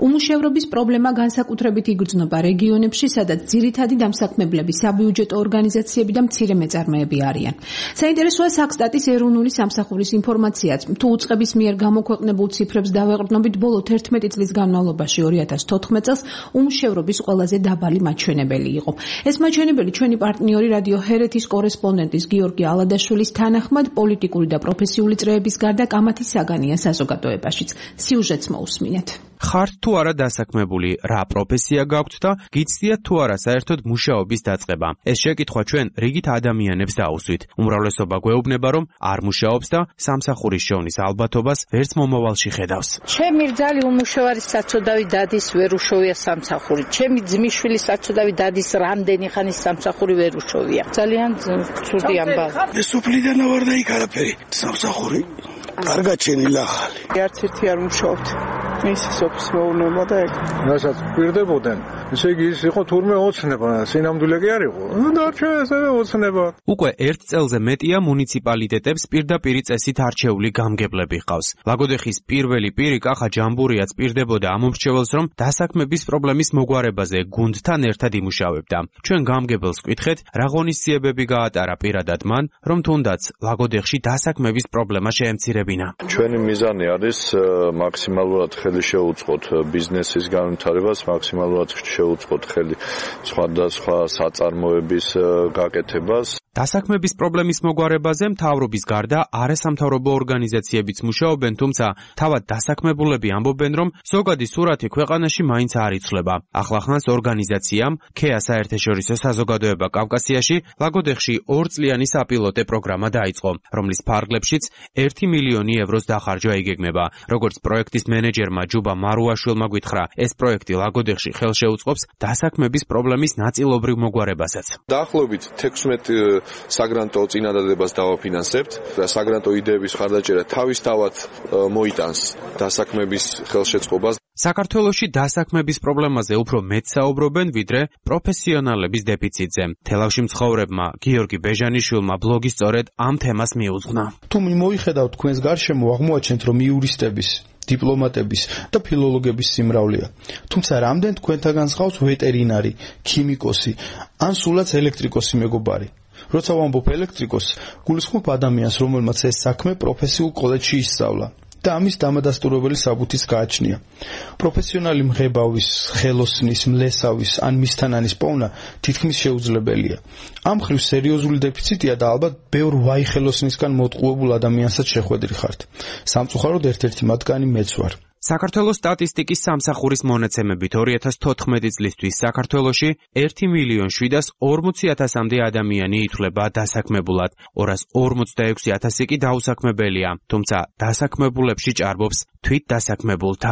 უმუშევრობის პრობლემა განსაკუთრებით იგრძნობა რეგიონებში, სადაც ძირითადი დამსაქმებლები საბიუჯეტო ორგანიზაციები და მცირე მეწარმეები არიან. საინტერესოა საქსტატის ეროვნული სამსახურის ინფორმაციაც. თუ უწყების მიერ გამოქვეყნებულ ციფრებს დავეყრდნობით, ბოლო 11 წლის განმავლობაში 2014 წელს უმუშევრობის ყველაზე დაბალი მაჩვენებელი იყო. ეს მაჩვენებელი ჩვენი პარტნიორი რადიო ჰერეთის კორესპონდენტის გიორგი ალადაშვილის თანახმად პოლიტიკური და პროფესიული წრეების გარდა კამათის საგანია საზოგადოებაშიც. სიუჟეტს მოусმინეთ. ხართ თუ არა დასაქმებული, რა პროფესია გაქვთ და გიცდიათ თუ არა საერთოდ მუშაობის დაწყება. ეს შეკითხვა ჩვენ რიგით ადამიანებს დაუსვით. უმრავლესობა გვეუბნება, რომ არ მუშაობს და სამსახურის შოვნის ალბათობას ვერც მომავალში ხედავს. ჩემი რძალი უმუშევარი საცოდავი დადის ვერ უშოვია სამსახური. ჩემი ძმისშვილი საცოდავი დადის რამდენი ხანის სამსახური ვერ უშოვია. ძალიან ცუდი ამბავი. ეს უფლიდან ვარ და იქ არაფერი. სამსახური კარგად შენილა ახალი. არც ერთი არ მუშაობთ. მისი სოფლის მეურნეობა და ეგ. რასაც პირდებოდნენ, ესე იგი ის იყო თურმე ოცნება, სინამდვილე კი არ იყო. დარჩა ესევე ოცნება. უკვე 1 წელზე მეტია მუნიციპალიტეტებს პირდაპირი წესით არჩეული გამგებლები ჰყავს. ლაგოდეხის პირველი პირი კახა ჯამბურიაც პირდებოდა ამ მომრჩეველს, რომ დასაქმების პრობლემის მოგვარებაზე გუნდთან ერთად იმუშავებდა. ჩვენ გამგებელს ვკითხეთ, რა ღონისძიებები გაატარა პირადად მან, რომ თუნდაც ლაგოდეხში დასაქმების პრობლემა შეემცირებინა. ჩვენი მიზანი არის მაქსიმალურად ხელი შეუწყოთ ბიზნესის განვითარებას, მაქსიმალურად შეუწყოთ ხელი სხვადასხვა საწარმოების გაკეთებას. დასაქმების პრობლემის მოგვარებაზე მთავრობის გარდა არასამთავრობო ორგანიზაციებიც მუშაობენ, თუმცა თავად დასაქმებულები ამბობენ, რომ ზოგადი სურათი ქვეყანაში მაინც არ იცვლება. ახლახანს ორგანიზაციამ ქეა საერთაშორისო საზოგადოება კავკასიაში ლაგოდეხში 2 წლიანი საპილოტე პროგრამა დაიწყო, რომლის ფარგლებშიც 1 მილიონი ევროს დახარჯვა იგეგმება. როგორც პროექტის მენეჯერმა ჯუბა მარუაშვილმა გითხრა, ეს პროექტი ლაგოდეხში ხელშეუწყობს დასაქმების პრობლემის ნაწილობრივ მოგვარებასაც. დაახლოებით 16 საგრანტო წინადადებას დავაფინანსებთ და საგრანტო იდეების ხარდაჭერა თავისთავად მოიტანს დასაქმების ხელშეწყობას. საქართველოში დასაქმების პრობლემაზე უფრო მეტ საუბრობენ, ვიდრე პროფესიონალების დეფიციტზე. თელავში მცხოვრებმა გიორგი ბეჟანიშვილმა ბლოგი სწორედ ამ თემას მიუძღვნა. თუ მოიხედავთ თქვენს გარშემო, აღმოაჩენთ, რომ იურისტების, დიპლომატების და ფილოლოგების სიმრავლეა. თუმცა რამდენ თქვენთაგან სხავს ვეტერინარი, ქიმიკოსი ან სულაც ელექტრიკოსი მეგობარი. როცა ვამბობ ელექტრიკოსს, გულისხმობ ადამიანს, რომელმაც ეს საქმე პროფესიულ კოლეჯში ისწავლა და ამის დამადასტურებელი საბუთიც გააჩნია. პროფესიონალი მღებავის, ხელოსნის, მლესავის ან მისთანანის პოვნა თითქმის შეუძლებელია. ამ მხრივ სერიოზული დეფიციტია და ალბათ ბევრ ვაი ხელოსნისგან მოტყუებულ ადამიანსაც შეხვედრი ხართ. სამწუხაროდ ერთ-ერთი მათგანი მეც ვარ. საქართველოს სტატისტიკის სამსახურის მონაცემებით 2014 წლისთვის საქართველოში 1.740.000-მდე ადამიანი ითვლება დასაქმებულად, 246.000 კი დაუსაქმებელია, თუმცა დასაქმებულებში ჭარბობს თვით დასაქმებულთა